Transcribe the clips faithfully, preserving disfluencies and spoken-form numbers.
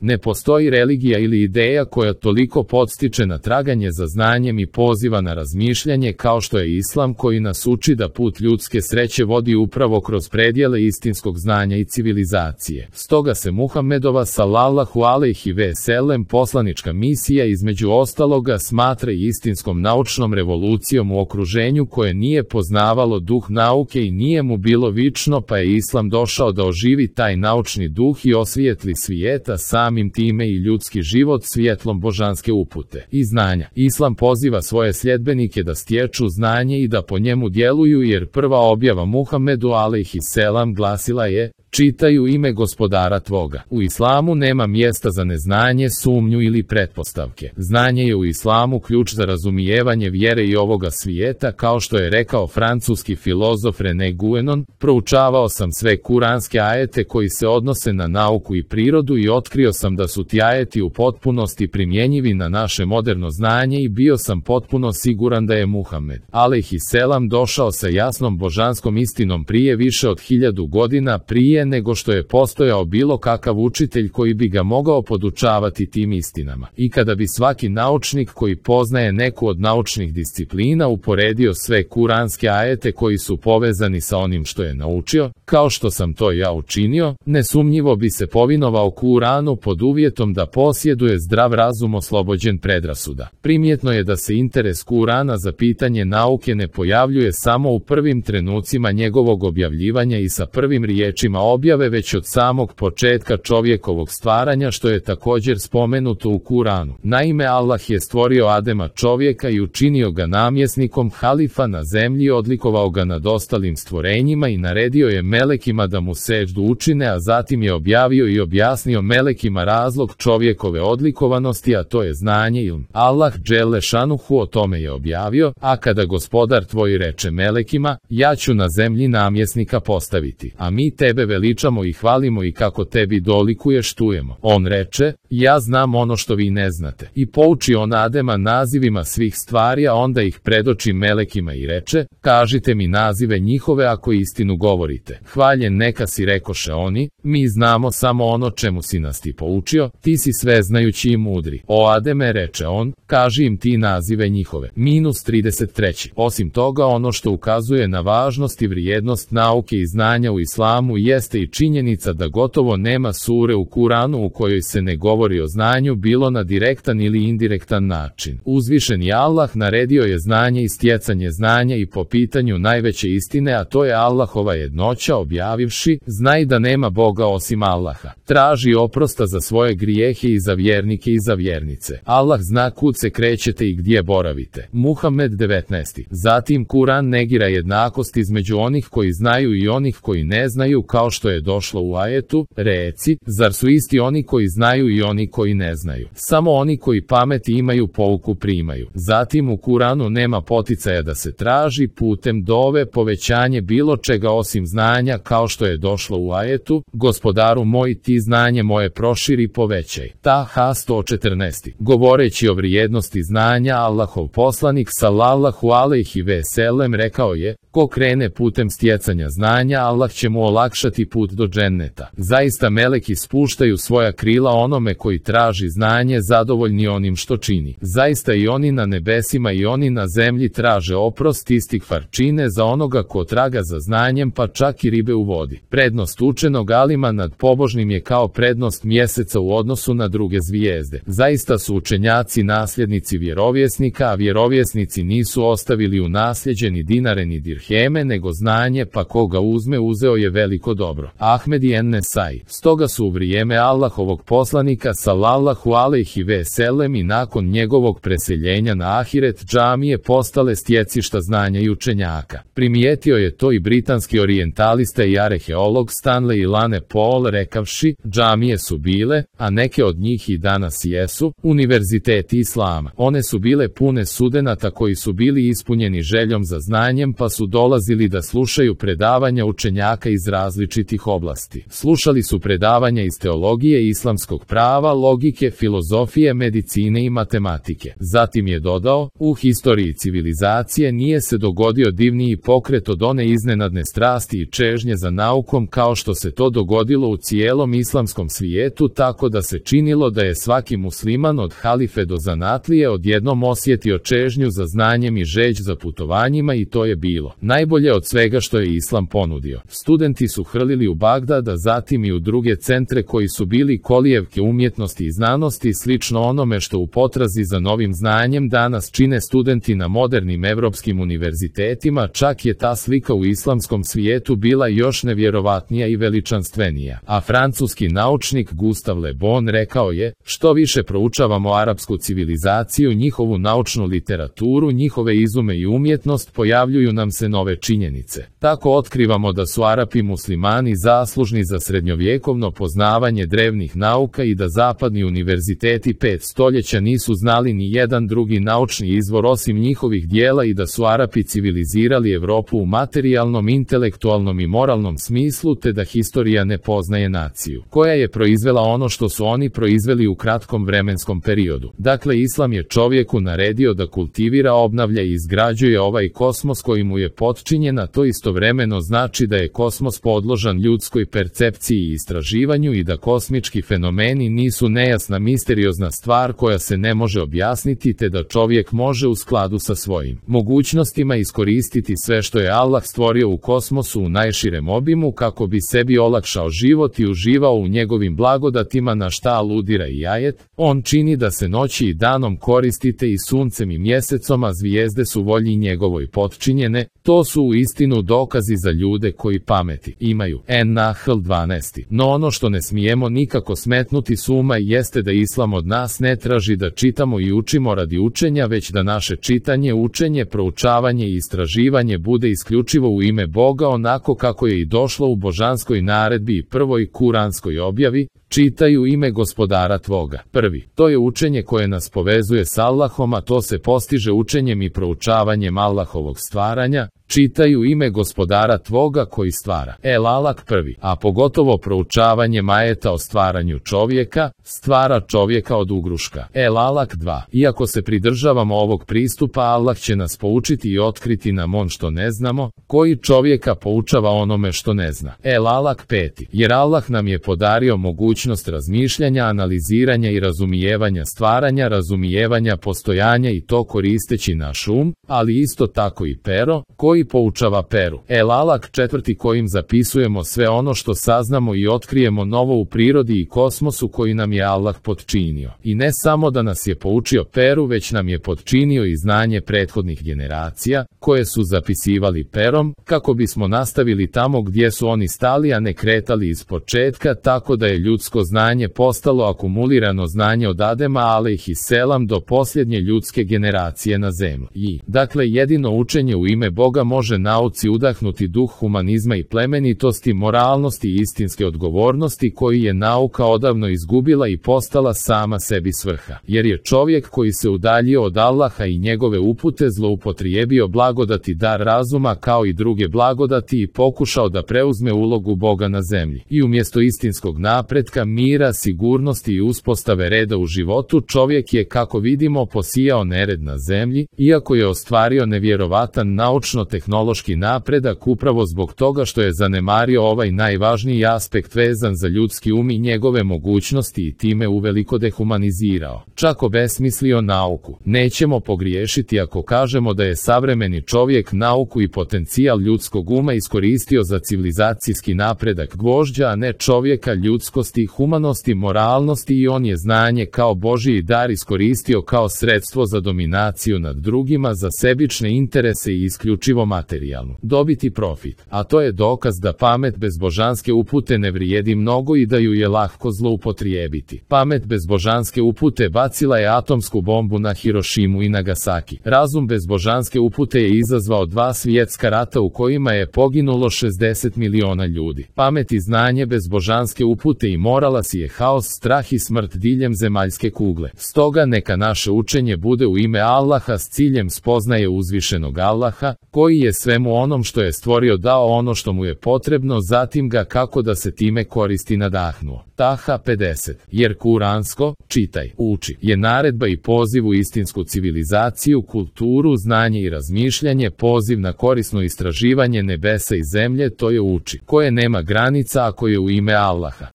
Ne postoji religija ili ideja koja toliko podstiče na traganje za znanjem i poziva na razmišljanje kao što je islam, koji nas uči da put ljudske sreće vodi upravo kroz predjele istinskog znanja i civilizacije. Stoga se Muhammedova sallallahu alejhi ve sellem poslanička misija između ostaloga smatra i istinskom naučnom revolucijom u okruženju koje nije poznavalo duh nauke i nije mu bilo vično, pa je islam došao da oživi taj naučni duh i osvijetli svijeta, samim time i ljudski život svjetlom božanske upute i znanja. Islam poziva svoje sljedbenike da stječu znanje i da po njemu djeluju, jer prva objava Muhammedu alejhi selam glasila je: čitaj u ime gospodara tvoga. U islamu nema mjesta za neznanje, sumnju ili pretpostavke. Znanje je u islamu ključ za razumijevanje vjere i ovoga svijeta, kao što je rekao francuski filozof René Guénon: proučavao sam sve kuranske ajete koji se odnose na nauku i prirodu i otkrio sam da su ti ajeti u potpunosti primjenjivi na naše moderno znanje i bio sam potpuno siguran da je Muhammed alejhi selam došao sa jasnom božanskom istinom prije više od hiljadu godina, prije nego što je postojao bilo kakav učitelj koji bi ga mogao podučavati tim istinama. I kada bi svaki naučnik koji poznaje neku od naučnih disciplina uporedio sve kuranske ajete koji su povezani sa onim što je naučio, kao što sam to ja učinio, nesumnjivo bi se povinovao Kuranu pod uvjetom da posjeduje zdrav razum oslobođen predrasuda. Primjetno je da se interes Kurana za pitanje nauke ne pojavljuje samo u prvim trenucima njegovog objavljivanja i sa prvim riječima objave, već od samog početka čovjekovog stvaranja, što je također spomenuto u Kuranu. Naime, Allah je stvorio Adema čovjeka i učinio ga namjesnikom halifa na zemlji, odlikovao ga nad ostalim stvorenjima i naredio je melekima da mu seždu učine, a zatim je objavio i objasnio melekima razlog čovjekove odlikovanosti, a to je znanje ilm. Allah dželle šanuhu o tome je objavio: a kada gospodar tvoj reče melekima, ja ću na zemlji namjesnika postaviti, a mi tebe veličamo i hvalimo i kako tebi dolikuješ štujemo. On reče: ja znam ono što vi ne znate. I pouči on Adema nazivima svih stvari, a onda ih predoči melekima i reče: kažite mi nazive njihove ako istinu govorite. Hvaljen neka si, rekoše oni, mi znamo samo ono čemu si nas ti poučio, ti si sveznajući i mudri. O Ademe, reče on, kaži im ti nazive njihove. Minus trideset tri. Osim toga, ono što ukazuje na važnost i vrijednost nauke i znanja u islamu jeste i činjenica da gotovo nema sure u Kuranu u kojoj se ne govori o znanju, bilo na direktan ili indirektan način. Uzvišeni Allah naredio je znanje i stjecanje znanja i po pitanju najveće istine, a to je Allahova jednoća, objavivši: znaj da nema Boga osim Allaha. Traži oprosta za svoje grijehe i za vjernike i za vjernice. Allah zna kud se krećete i gdje boravite. Muhammed devetnaest. Zatim Kuran negira jednakost između onih koji znaju i onih koji ne znaju, kao što je došlo u ajetu: reci, zar su isti oni koji znaju i oni koji ne znaju? Samo oni koji pameti imaju pouku primaju. Zatim u Kuranu nema poticaja da se traži putem dove povećanje bilo čega osim znanja, kao što je došlo u ajetu: gospodaru moj, ti znanje moje proširi, povećaj. Taha sto četrnaest. Govoreći o vrijednosti znanja, Allahov poslanik sallallahu alejhi ve sellem rekao je: ko krene putem stjecanja znanja, Allah će mu olakšati put do dženneta. Zaista meleki spuštaju svoja krila onome koji traži znanje, zadovoljni onim što čini. Zaista i oni na nebesima i oni na zemlji traže oprost, istikfar čine za onoga ko traga za znanjem, pa čak i ribe u vodi. Prednost učenog alima nad pobožnim je kao prednost mjeseca u odnosu na druge zvijezde. Zaista su učenjaci nasljednici vjerovjesnika, a vjerovjesnici nisu ostavili u nasljeđe ni dinare ni dirheme, nego znanje, pa koga uzme, uzeo je veliko dobro. Ahmed i en-Nesai. Stoga su u vrijeme Allahovog poslanika sallallahu alejhi ve sellem i nakon njegovog preseljenja na ahiret džamije postale stjecišta znanja i učenjaka. Primijetio je to i britanski orijentalista i arheolog Stanley Lane Paul, rekavši: džamije su bile, a neke od njih i danas jesu, univerziteti islama. One su bile pune studenata koji su bili ispunjeni željom za znanjem, pa su dolazili da slušaju predavanja učenjaka iz različitih oblasti. Slušali su predavanja iz teologije, islamskog prava, logike, filozofije, medicine i matematike. Zatim je dodao: u historiji civilizacije nije se dogodio divniji pokret od one iznenadne strasti i čežnje za naukom kao što se to dogodilo u cijelom islamskom svijetu tako da se činilo da je svaki musliman od halife do zanatlije odjednom osjetio čežnju za znanjem i žeđ za putovanjima i to je bilo najbolje od svega što je islam ponudio. Studenti su hrlili u Bagdad, a zatim i u druge centre koji su bili kolijevke umjetnosti i znanosti, slično onome što u potrazi za novim znanjem danas čine studenti na modernim evropskim univerzitetima. Čak je ta slika u islamskom svijetu bila još nevjerovatnija i veličanstvenija. A francuski naučnik Gustave Le Bon rekao je: što više proučavamo arapsku civilizaciju, njihovu naučnu literaturu, njihove izume i umjetnost, pojavljuju nam se nove činjenice. Tako otkrivamo da su Arapi muslimani zaslužni za srednjovjekovno poznavanje drevnih nauka i da zapadni univerziteti pet stoljeća nisu znali ni jedan drugi naučni izvor osim njihovih dijela i da su Arapi civilizirali Evropu u materijalnom, intelektualnom i moralnom smislu, te da historija ne poznaje naciju koja je proizvela ono što su oni proizveli u kratkom vremenskom periodu. Dakle, islam je čovjeku naredio da kultivira, obnavlja i izgrađuje ovaj kosmos koji mu je potčinjen, a to istovremeno znači da je kosmos podložan ljudskoj percepciji i istraživanju i da kosmički fenomeni nisu nejasna misteriozna stvar koja se ne može objasniti, te da čovjek može u skladu sa svojim mogućnostima iskoristiti sve što je Allah stvorio u kosmosu u najširem obimu kako bi sebi olakšao život i uživao u njegovim blagodatima, na šta aludira i ajet: on čini da se noći i danom koristite i suncem i mjesecom, a zvijezde su volji njegovoj potčinjene. To su u istinu dokazi za ljude koji pameti imaju. En-Nahl dvanaest. No ono što ne smijemo nikako smetnuti s uma jeste da islam od nas ne traži da čitamo i učimo radi učenja, već da naše čitanje, učenje, proučavanje i istraživanje bude isključivo u ime Boga, onako kako je i došlo u božanskoj naredbi i prvoj kuranskoj objavi: čitaj u ime gospodara tvoga. Prvi, to je učenje koje nas povezuje s Allahom, a to se postiže učenjem i proučavanjem Allahovog stvaranja. Čitaj u ime gospodara tvoga koji stvara. El Alak prvi, a pogotovo proučavanjem ajeta o stvaranju čovjeka, stvara čovjeka od ugruška. El Alak dva, iako se pridržavamo ovog pristupa, Allah će nas poučiti i otkriti nam on što ne znamo, koji čovjeka poučava onome što ne zna. El Alak peti, jer Allah nam je podario mogućnost razmišljanja, analiziranja i razumijevanja stvaranja, razumijevanja postojanja, i to koristeći naš um, ali isto tako i pero, koji poučava peru. El Alak četvrti, kojim zapisujemo sve ono što saznamo i otkrijemo novo u prirodi i kosmosu koji nam je Allah potčinio. I ne samo da nas je poučio peru, već nam je potčinio i znanje prethodnih generacija, koje su zapisivali perom, kako bismo nastavili tamo gdje su oni stali, a ne kretali iz početka, tako da je ljudsko znanje postalo akumulirano znanje od Adema alejhiselam do posljednje ljudske generacije na zemlji. I, dakle, jedino učenje u ime Boga može nauci udahnuti duh humanizma i plemenitosti, moralnosti i istinske odgovornosti koji je nauka odavno izgubila i postala sama sebi svrha. Jer je čovjek koji se udaljio od Allaha i njegove upute zloupotrijebio blagodati dar razuma kao i druge blagodati i pokušao da preuzme ulogu Boga na zemlji. I umjesto istinskog napretka, mira, sigurnosti i uspostave reda u životu, čovjek je, kako vidimo, posijao nered na zemlji, iako je ostvario nevjerovatan naučno-tehnološki napredak upravo zbog toga što je zanemario ovaj najvažniji aspekt vezan za ljudski um i njegove mogućnosti i time uveliko dehumanizirao, čak obesmislio nauku. Nećemo pogriješiti ako kažemo da je savremeni čovjek nauku i potencijal ljudskog uma iskoristio za civilizacijski napredak gvožđa, a ne čovjeka, ljudskosti, humanosti, moralnosti, i on je znanje kao Božji dar iskoristio kao sredstvo za dominaciju nad drugima, za sebične interese i isključivo materijalnu dobiti profit. A to je dokaz da pamet bez božanske upute ne vrijedi mnogo i da ju je lahko zloupotrijebiti. Pamet bez božanske upute bacila je atomsku bombu na Hirošimu i Nagasaki. Razum bez božanske upute je izazvao dva svjetska rata u kojima je poginulo šezdeset miliona ljudi. Pamet i znanje bez božanske upute i morala si je haos, strah i smrt diljem zemaljske kugle. Stoga neka naše učenje bude u ime Allaha s ciljem spoznaje uzvišenog Allaha, koji je svemu onom što je stvorio dao ono što mu je potrebno, zatim ga kako da se time koristi nadahnuo. Taha pedeset. Jer kuransko, čitaj, uči, je naredba i poziv u istinsku civilizaciju, kulturu, znanje i razmišljanje, poziv na korisno istraživanje nebesa i zemlje, to je uči, koje nema granica ako je u ime Allaha.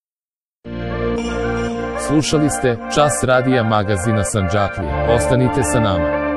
Slušali ste Čas radija magazina Sandžaklija. Ostanite sa nama.